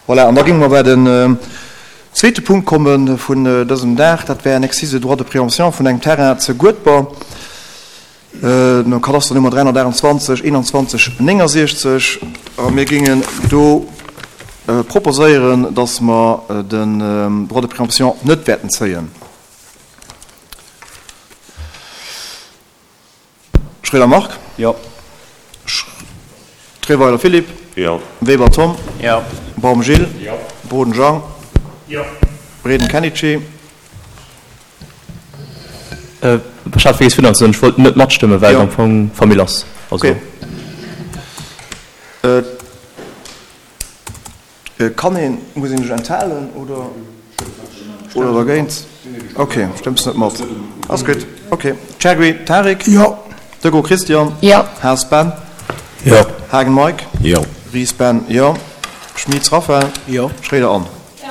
Voilà, an da géinge mer bei den zweete Punkt komme vun dësem Dag. Dat wär en Exercice de droit de préemption vun engem Terrain zu Guedber, nom Kadasternummer 328 21 69. A mir géingen do proposéieren, dass mer den Droit de préemption net wäerten zéien. Schroeder Marc. Jo. Treweiler Philippe. Jo. Weber Tom. Jo. Baum Gilles. Jo. Boden Jean. Jo. Breden Kenichi. Ech hat vergiess virun ze soen, ech wollt net matstëmmen, well et am Fong Famill ass. Also. Okay. Kann een, muss een sech enthalen oder oder dergéint? Ok, stëmms net mat. Ass gutt. Ok. Chergui Tarik. Jo. Deco Christian. Jo. Haas Ben. Jo. Haagen Mike. Jo. Ries Ben. Jo. Schmitz Raphaël. Jo. Schroeder Anne. Jo.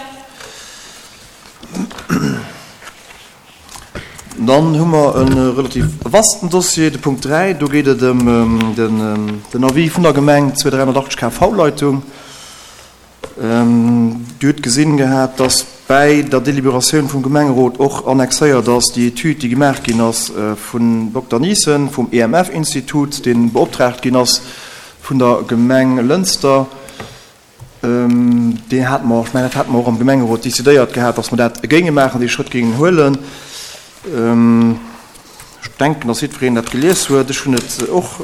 Dann hu mer e relativ vasten Dossier, de Punkt 3. Do geet et ëm den Avis vun der Gemeng zur 380 kV-Leitung. Dir hutt gesinn gehat, dass bäi der Deliberatioun vum Gemengerot och annexéiert ass déi Etüd, déi gemaach ginn ass vun Dokter Niesen vum EMF-Institut, dee beoptraagt ginn ass vun der Gemeng Lënster. Deen hate mer, ech mengen, dat hate mer och am Gemengerot decidéiert gehat, dass mer dat géinge maachen, dee Schrëtt géingen huelen. Ech denken, dass jiddwereen dat gelies huet. Ech hunn et och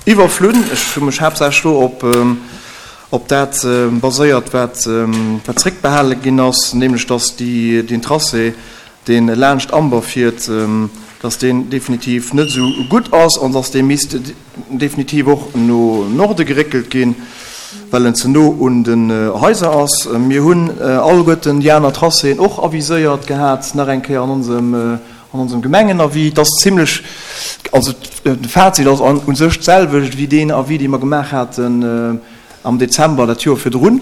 iwwerflunn. Ech hu mech haaptsächlech do op, op dat baséiert, wat, wat zréckbehale ginn ass, nämlech dass déi, deen Tracé, dee laanscht Amber fiert, dass deen definitiv net esou gutt ass an dass dee misst definitiv och no Norde geréckelt ginn, well en ze no un den Haiser ass. Mir hunn alleguerten déi aner Tracéen och aviséiert gehat, nach eng Kéier an onsem, an onsem Gemengenavis. Et ass zimlech, also de Fazit ass u sech d'selwecht wéi deen Avis, dee mer gemaach haten am Dezember dat Joer virdrun.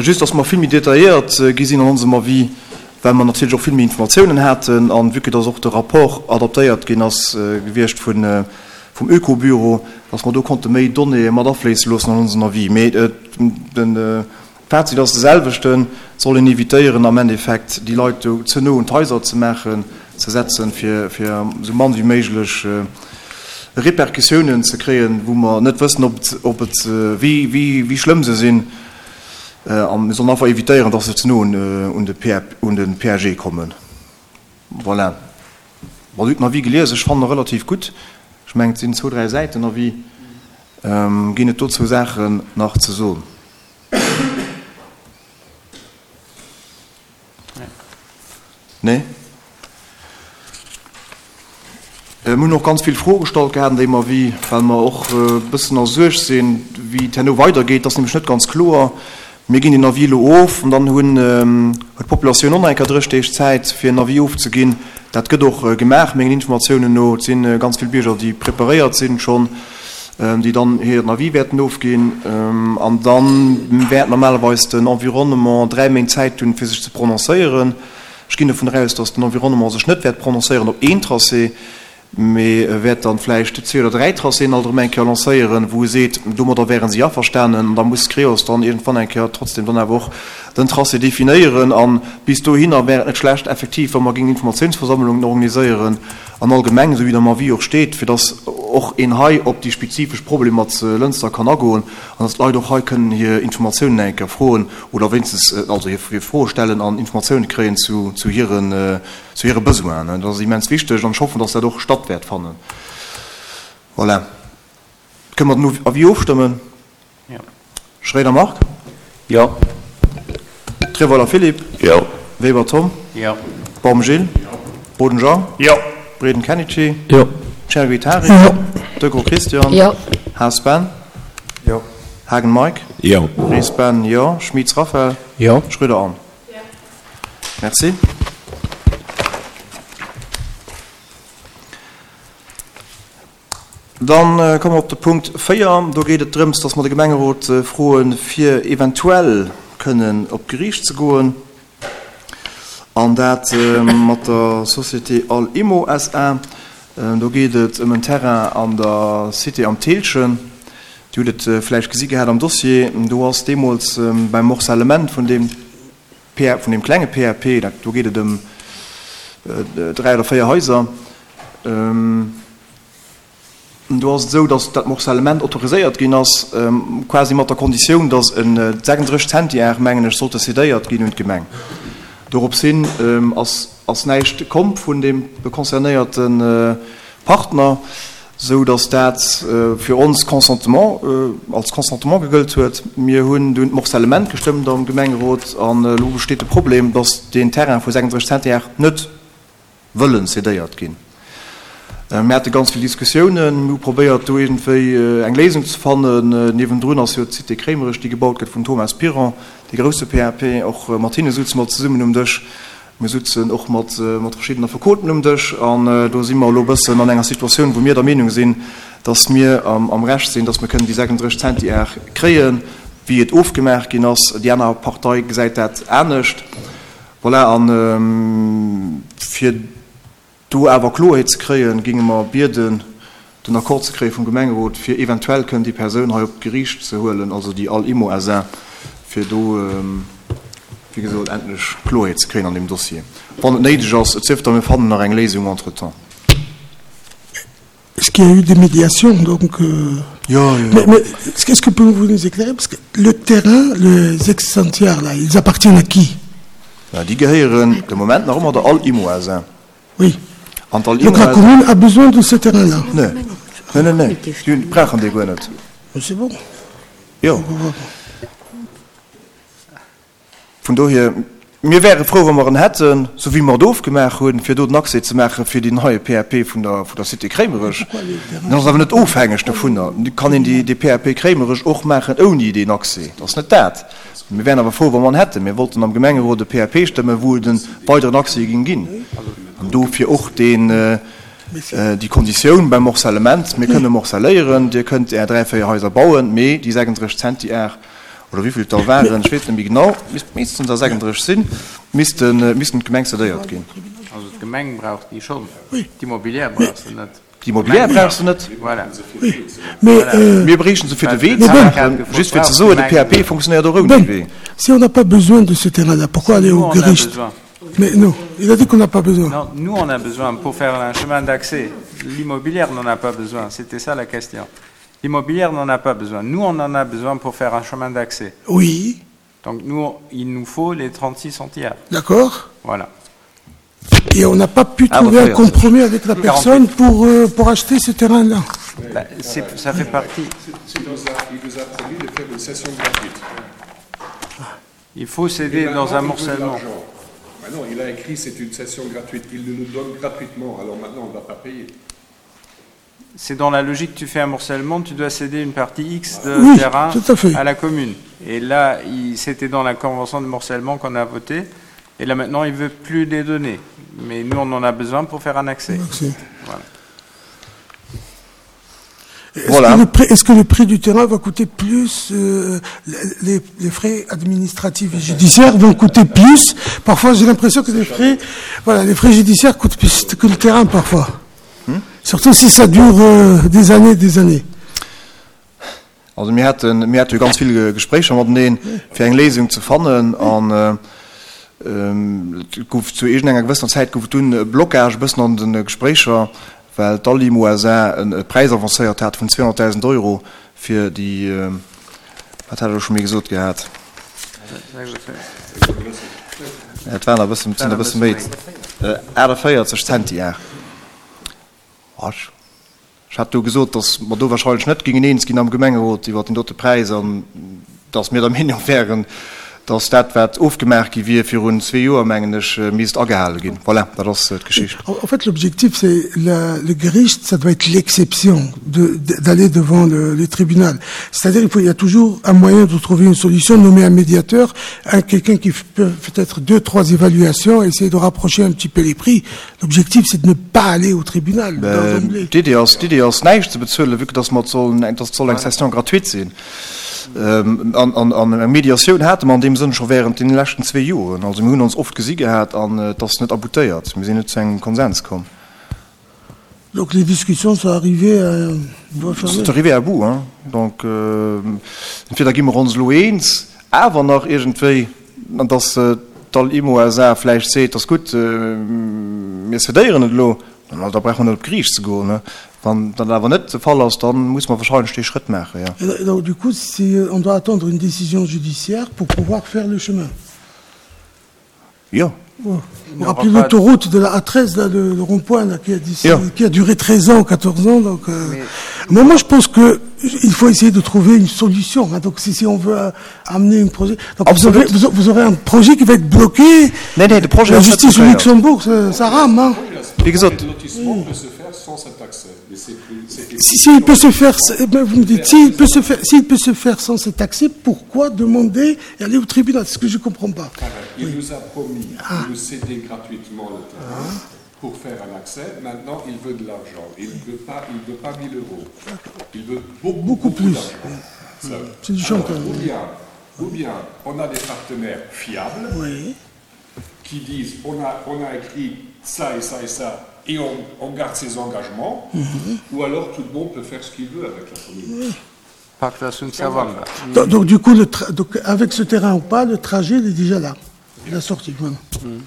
Just dass mer vill méi detailléiert gi sinn an onsem Avis, well mer natierlech och vill méi Informatiounen haten an vue que dass och de Rapport adaptéiert ginn ass gewiescht vun, vum Ökobüro, dass mer do konnte méi Donnéeë mat afléisse loossen an onsen Avis. Mee de Fazit ass de selwechten, Et soll een évitéieren am Endeffekt déi Leit do ze no un d'Haiser ze maachen, ze setzen, fir esou mann wéi méiglech Repercussiounen ze kréien, wou mer net wëssen, ob et, wéi schlëmm se sinn. A mir sollen einfach évitéieren, dass se ze no un de PAG kommen. Voilà. Bon, Dir hutt den Avis gelies. Ech fannen e relativ gutt. Ech mengen, et sinn zwou, dräi Säiten Avis. Ginn et dozou Saachen nach ze soen? Nee? Mir hunn och ganz vill Froe gestallt gehat an deem Avis, well mer och e bëssen a Suerg sinn, wéi et herno weidergeet. Dat ass nämlech net ganz kloer. Mir ginn den Avis elo of an dann hunn, huet d'Populatioun och nach eng Kéier 30 Deeg Zäit, fir en Avis ofzeginn. Dat gëtt och gemaach, mengen Informatiounen no. Et si ganz vill Bierger, déi preparéiert sinn schonn, déi dann hiren Avis wäerten ofginn. An da wäert normalerweis den Environnement 3 Méint Zäit hunn, fir sech ze prononcéieren. Ech ginn dovun aus, datt den Environnement sech net wäert prononcéieren op een Tracé, mee e wäert dann vläicht zwee oder dräi Tracéen alt erëm eng Kéier lancéieren, wou e seet, domadder wäre si averstanen. An da muss d'Creos dann iergendwann eng Kéier trotzdem dann awer och den Tracé definéieren. A bis dohinner wär et net schlecht effektiv, wa mer géingen Informatiounsversammlungen organiséieren an all Gemeng, esou wéi et am Avis och steet, fir datt och een hei op déi spezifesch Problemer ze Lënster kann agoen an datt d'Leit och hei kënnen hir Informatiounen eng Kéier froen oder wéinstens also hir Froe stellen an Informatiounen kréien zu zu hiren zu hire Besoinen. Dat ass immens wichteg an ech hoffen, dass dat och statt wäert fannen. Voilà. Kënne mer den Avis ofstëmmen? Jo. Schroeder Marc? Jo. Treweiler Philippe? Jo. Weber Tom? Jo. Baum Gilles? Jo. Boden Jean? Jo. Breden Kenichi? Jo. Chergui Tarik? Jo. Degraux Christian? Jo. Haas Ben? Jo. Haagen Mike? Jo. Ries Ben, jo. Schmitz Raphaël? Jo. Schröder Anne? Jo. Merci. Dann komme mer op de Punkt 4. Do geet et drëms, dass mer de Gemengerot froen, fir eventuell kënnen op d'Geriicht ze goen, an dat mat der Société Al Immo SA. Do geet et ëm en Terrain an der Cité Am Thillchen. Dir hutt et vläicht gesi gehat am Dossier, do ass deemools beim Morcellement vun deem PAP, vun deem klenge PAP, dat, do geet et ëm dräi oder véier Haiser, do ass et esou, datt dat Morcellement autoriséiert ginn ass, quasi mat der Konditioun, datt e 36 Zentiar, mengen ech, sollte cédéiert ginn un d'Gemeng. Dorops hin ass, ass näischt komm vun deem concernéierte Partner, sou datt dat fir ons Consentement, als Consentement gegëllt huet. Mir hunn dunn d'Morcellement gestëmmt am Gemengerot an elo besteet de Problem, datt deen Terrain vu 36 Zentiar net wëllen cédéiert ginn. Mir hate ganz vill Diskussiounen, mir hu probéiert do iergendwéi eng Léisung ze fannen. Niewendrun ass jo d'Cité Kréimerech, déi gebaut gëtt vum Thomas Piron, dee grousse PAP. Och mat hinne souze mer zesummen um Dësch. Mir sutzen och mat verschiddenen Affekoten um Dësch an do si mer elo e bëssen an enger Situatioun, wou mir der Meenung sinn, dass mir am Recht sinn, dass mir kënnen déi 36 Zentiar kréien, wéi et ofgemaach ginn ass. Déi aner Partei gesäit dat anescht. Voilà, a fir Do awer Kloerheet ze kréien, géinge mer bieden, den Accord ze kréie vum Gemengerot, fir eventuell kënnen déi Persoun hei op d'Geriicht ze huelen, also déi Al Immo SA, fir do, wéi gesot, endlech Kloerheet ze kréien an deem Dossier, wann et néideg ass. Et sief da, mir fannen nach eng Léisung entretemps. Est-ce qu'il y a eu des médiations donc euh... Jo, jo, jo. Mais, mais qu'est-ce que pouvez-vous nous éclairer Parce que le terrain, les ex-centiaires, là, ils appartiennent à qui Ja, déi gehéieren de Moment nach ëmmer der Al Immo SA. Oui. An d'Al Donc Immo la commune a besoin de ce terrain-là. Nee, nee, nee, nee. Déi brauchen dee guer net. Mais c'est bon. Jo. Vun dohier, mir wäre frou, wa mer en hätten, sou wéi mer et ofgemaach hunn, fir do den Accès ze maache fir deen neie PAP vun der, vun der Cité Kréimerech. En ass awer net ofhängeg dovunner. Et kann een déi, dee PAP Kréimerech och maachen ouni deen Accès. Dat ass net dat. Mir wären awer frou, wa mer en hätten. Mir wollten am Gemengerot e PAP stëmmen, wou et e weideren Accès géing ginn. An dofir och deen, déi Konditioun beim Morcellement, Mir kënne morcelléieren, Dir kënnt Är dräi, véier Haiser bauen, mee déi 36 Zentiar, oder wéi vill et der waren, ech weess net méi genau, missten der 36 sinn, missten, missten d'Gemeng cedéiert ginn. Also d'Gemeng brauch déi schonn, d'Immobilière brauch se net. D'Immobilière brauch se net. Voilà. Mir bréichten se fir de Wee ze maachen, just fir ze soen, de PAP fonctionnéiert och ouni Wee. Si on n'a pas besoin de ce terrain-là, pourquoi aller au Gericht? Mais non, il a dit qu'on n'a pas besoin. Non, nous on a besoin pour faire un chemin d'accès. L'immobilière n'en a pas besoin, c'était ça la question. L'immobilière n'en a pas besoin. Nous, on en a besoin pour faire un chemin d'accès. Oui. Donc nous, il nous faut les 36 centiaires. D'accord. Voilà. Et on n'a pas pu ah, trouver un compromis avec la personne pour, euh, pour acheter ce terrain-là. Bah, ça fait partie. C est, c est un, il nous a promis de faire une session gratuite. Il faut céder dans un morcellement. Maintenant, il a écrit c'est une session gratuite. Il nous donne gratuitement. Alors maintenant, on ne va pas payer c'est dans la logique tu fais un morcellement, tu dois céder une partie X de oui, terrain à, à la commune. Et là, c'était dans la convention de morcellement qu'on a voté. Et là maintenant, il veut plus les donner. Mais nous, on en a besoin pour faire un accès. Voilà. Est-ce voilà. que, est que le prix du terrain va coûter plus euh, les, les frais administratifs et judiciaires vont coûter plus parfois j'ai l'impression que les frais voilà les frais judiciaires coûtent plus que le terrain parfois hmm? surtout si ça dure euh, des années des années also mir hatten mir hatte ganz viele Gespräche mateneen fir eng Lesung zu fannen an äh, ähm, gouf zu enger gewisser Zeit gouf dunn Blockage bëssen an den Gesprächer well d'Alimo SA e Präis avancéiert hat vun 200.000 Euro fir déi, wat hat ech elo scho méi gesot gehat? Et waren e bëssen, et sinn e bësse méi, 48 Centiar. Ech hat do gesot, datt mer do wahrscheinlech net géingen eens ginn am Gemengerot iwwert deen dote Präis an datt mir der Meenung wären, datt dat, wat ofgemaach gi wier virun zwee Joer, mengen ech, misst agehale ginn. Voilà, dat ass d'Geschicht. En fait, l'objectif, c'est le Gericht, ça doit être l'exception d'aller devant le, le tribunal. C'est-à-dire qu'il y a toujours un moyen de trouver une solution, nommer un médiateur, un, quelqu'un qui peut peut-être deux, trois évaluations, essayer de rapprocher un petit peu les prix. L'objectif, c'est de ne pas aller au tribunal. D'Idee ass, d'Idee ass näischt ze bezuelen, vue que dass mer et sollen, dass et soll eng Session gratuite sinn. An, an, an eng Mediatioun hate mer an deem Sënn scho während deene leschten zwee Joren. Also mir hunn ons oft gesi gehat an et ass net aboutéiert. Mir sinn net zu engem Konsens komm. Donc les discussions sont arrivées à Sont arrivées à bout, hein. Donc entweder gi mer ons elo eens, awer nach iergendwéi, an dass d'Al-Immo SA vläicht seet, ass gutt, mir cédéieren et elo, da brauche mer net op d'Geriicht ze goen. Wann dat awer net de Fall ass, da muss mer wahrscheinlech dee Schrëtt maachen, jo. Donc du coup, si on doit attendre une décision judiciaire pour pouvoir faire le chemin. Jo. Vous rappelez l'autoroute de la A13, là, le, le rond-point là, qui, a, ja. qui a duré 13 ans, 14 ans. Donc, euh, Mais... moi, moi, je pense que il faut essayer de trouver une solution. Hein. Donc, si, si on veut euh, amener un projet, donc vous, aurez, vous, vous aurez un projet qui va être bloqué. Nee, nee, de projet la justice au Luxembourg, ça, ça rame. Hein. Wie gesagt, le peut se faire sans cet accès. Si, si il peut se faire, ben vous me dites, s'il peut se faire, s'il peut se faire sans cet accès, pourquoi demander et aller au tribunal C'est ce que je comprends pas. Ah ben, il oui. nous a promis ah. de nous céder gratuitement le terrain ah. pour faire un accès. Maintenant, il veut de l'argent. Il ne veut pas, il veut pas 1000 euros. Il veut beaucoup, beaucoup, beaucoup plus. C'est du chantage. Ou bien, ou bien, on a des partenaires fiables oui. qui disent on a, on a écrit ça et ça et ça et on, on garde ses engagements, mm -hmm. ou alors tout le monde peut faire ce qu'il veut avec la commune. Oui. Donc, donc du coup, le donc, avec ce terrain ou pas, le trajet il est déjà là, la sortie. Voilà. Mm.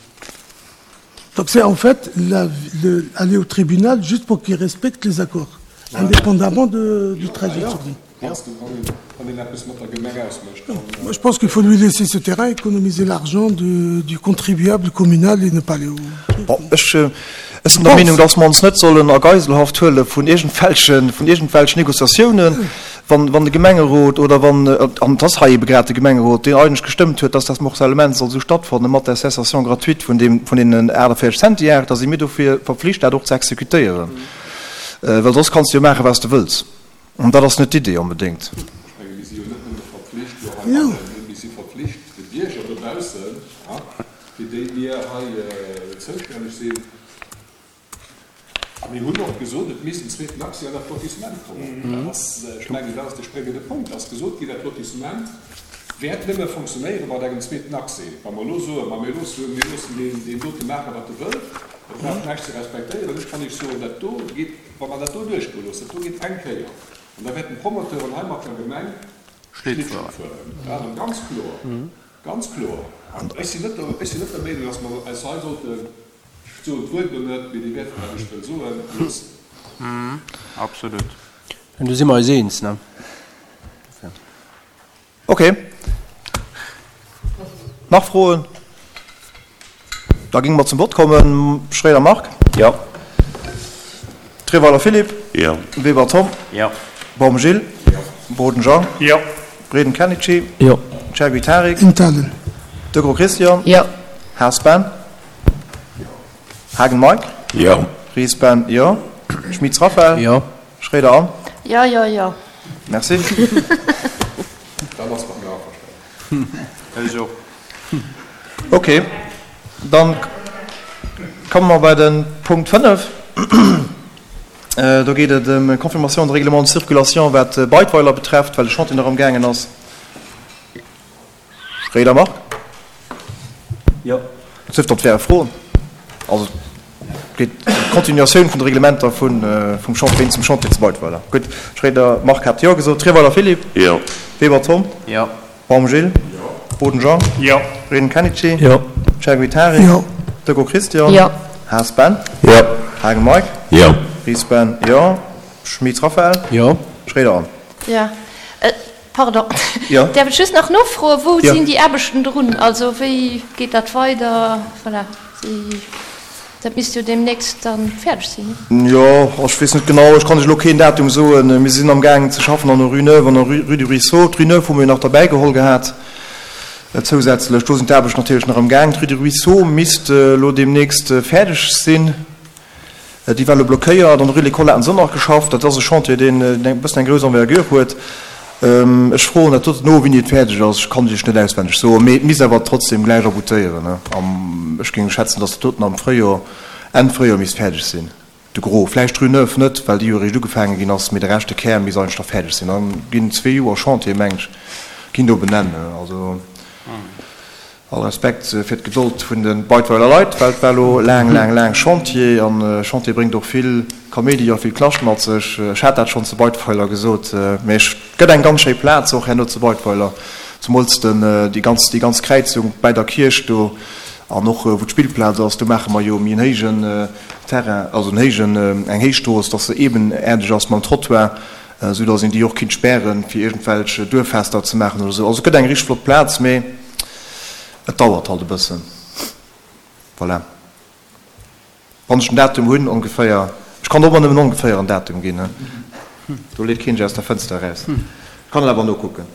Donc c'est en fait la, le, aller au tribunal juste pour qu'il respecte les accords, voilà. indépendamment de, du trajet. Ja. Moi, je pense qu'il faut lui laisser ce terrain, économiser l'argent du, du contribuable communal et ne pas aller au. Bon, ech, ech sinn der Meenung, dass mer ons net sollen a Geiselhaft huele vun iergendwelchen, vun iergendwelchen Négociatiounen, wann, wann de Gemengerot oder wann, an et ass hei ebe grad de Gemengerot, deen eigentlech gestëmmt huet, dass dat Morcellement soll esou stattfanne mat der Cessation gratuite vun deem, vun deenen 48 Centiar, da si mir dofir verpflicht, dat och ze exekutéieren, well soss kanns de jo maachen, wat s de wëlls. An dat ass net d'Idee onbedéngt. Ech menge mir si jo net nëmme verpflicht elo heibannen, mir si verpflicht de Bierger dobaussen, fir déi mir hei zoustänneg sinn. A mir hunn och gesot, et misst en zweeten Accès an dat Lotissement kommen. Dat ass, ech mengen, dat ass de spréngende Punkt. Et ass gesot ginn, dat Lotissement wäert nëmme fonctionnéiere mat engem zweeten Accès. Wa mer elo soen, ma mir loossen, mir loossen deen dote maachen, wat e wëll, e brauch näischt ze respektéieren, ech kann Iech soen, dat do geet, Wa mer dat do duerchgoe loossen, dat do geet eng Kéier, an da wäerten d'Promoteuren hei mat der Gemeng Schlittschung fueren. Dat ass ganz kloer, ganz kloer. An ech sinn net der, ech sinn net der Meenung, dass mer eis hei sollten, ech soen d'Wuert elo net, mee Dir wäert, wat ech wëll soen, loossen. Absolut. Do si mer eis eens, ne? Ok. Nach Froen? Da géinge mer zum Vott kommen. Schroeder Marc? Jo. Treweiler Philippe? Jo. Weber Tom? Jo. Baum Gilles? Jo. Boden Jean? Jo. Breden Kenichi? Jo. Chergui Tarik? Intalen. Degros Christian? Jo. Haas Ben? Haagen Mike? Jo. Ries Ben? Jo. Schmitz Raphaël? Jo. Schroeder Anne? Jo, jo, jo. Merci. Dann ass mat mir averstanen. Ech och. Ok, dann komme mer bei de Punkt 5. Do geet et ëm Confirmation de règlement de circulation, wat Beidweiler betrefft, well de Chantier nach amgaangen ass. Schroeder Marc? Jo. Et sief dann, et wäre Froen. Also et geet ëm d'Continuatioun vun de Reglementer vun, vum Chantier zum Chantier zu Beidweiler. Gutt, Schroeder Marc hat Jo gesot. Treweiler Philippe? Jo. Weber Tom? Jo. Baum Gilles? Jo. Boden Jean? Jo. Breden Kenichi? Jo. Chergui Tarik? Jo. Decaux Christian? Jo. Haas Ben? Jo. Haagen Mike? Jo. Ries Ben? Jo. Schmit Raphaël? Jo. Schroeder Anne? Jo. Pardon, Jo. däerf ech just nach nofroen, wou Jo. sinn déi Aarbechten drun? Also wéi geet dat weider? Voilà, déi, dat misst jo deemnächst dann fäerdeg sinn, ne? Jo, ech weess net genau, ech kann lech elo keen Datum soen. Mir sinn amgaangen ze schaffen an der Rue Neuve an der Rue du Ruisseau. D'Rue Neuve hu mir jo nach derbäigeholl gehat zousätzlech. Do sinn d'Aarbechten natierlech nach amgaang. D'Rue du Ruisseau misst elo deemnächst fäerdeg sinn. Déi war elo blockéiert. An der Rue de l'École haten se och nach geschafft. Dat ass e Chantier, deen e bëssen eng grouss Envergure huet. Ech froen dat doten no, wéini et fäerdeg ass. Ech kann et Iech net auswenneg soen, mee et misst awer trotzdem gläich aboutéieren. Ech géing schätzen, datt dat doten am Fréijoer, Enn Fréijoer misst fäerdeg sinn. De Gros, vläicht d'Rue Neuve net, well déi jo eréischt ugefaange ginn ass, mee de Rescht, de Kär, misst eigentlech da fäerdeg sinn. Da ginn zwee Joer Chantier, meng ech, ginn do op en Enn. Also. All Respekt fir d'Gedold vun de Beidweiler Leit, well et war elo laang, laang, laang Chantier an Chantier bréngt och vill Kaméidi a vill Knascht mat sech. Ech hat dat schonn zu Beidweiler gesot, mee et gëtt eng ganz schéi Plaz och herno zu Beidweiler, zemools den, déi ganz, déi ganz Kräizung bäi der Kierch do an och wou d'Spillplaz ass, do maache mer jo méi en héijen Terrain, also en héijen, eng héich Strooss, dass se ebenaerdeg ass mam Trottoir, esou dass een déi och kinnt spären, fir iergendwelch Duerffester ze maachen oder esou. Also et gëtt eng richteg flott Plaz, mee et dauert halt e bëssen. Voilà. Wann ech den Datum hunn, ongeféier, ech kann och ëmmer nëmmen ongeféier en Datum ginn, do leet keen sech aus der Fënster eraus. Ech kann et awer nokucken.